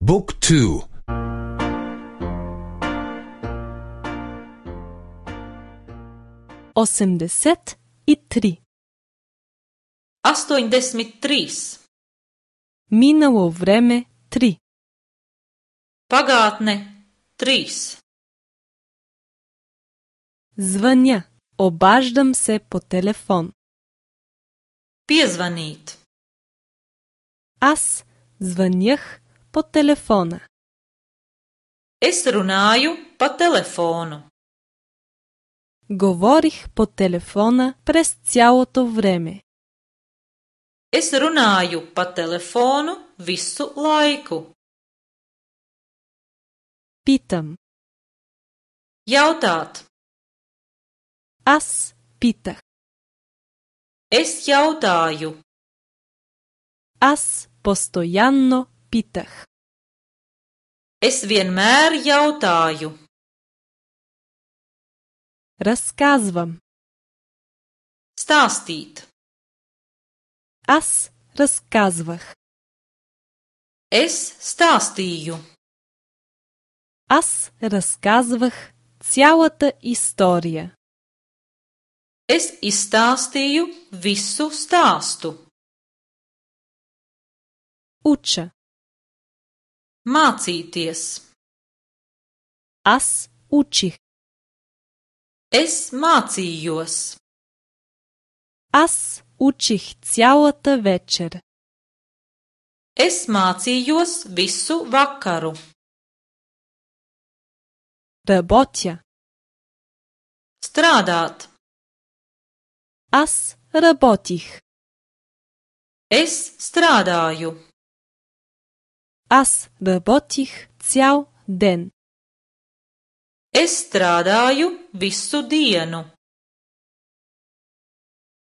Book 2. 83. 83. Минало време 3. Pagātne 3. Звъня. Обаждам се по телефон. Piezvanīt. Аз звънях по телефона. Es runāju pa telefonu. Говорих по телефона през цялото време. Es runāju pa telefonu visu laiku. Питам. Jautāt. Аз питах. Es jautāju. Аз постоянно питах. Es vienmēr jautāju. Разказвам. Stāstīt. Аз разказвах. Es stāstīju. Аз разказвах цялата история. Es izstāstīju visu stāstu. Уча. Mācīties. Аз учих. Es mācījos. Аз учих цялата вечер. Es mācījos visu vakaru. Работя. Strādāt. Аз работих. Es strādāju. Аз работих цял ден. Es strādāju visu dienu.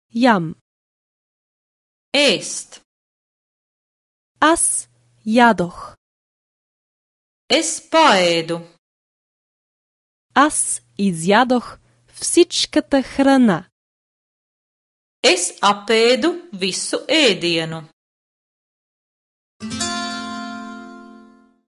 Ям. Ēst. Аз ядох. Es paēdu. Аз изядох всичката храна. Es apēdu visu ēdienu.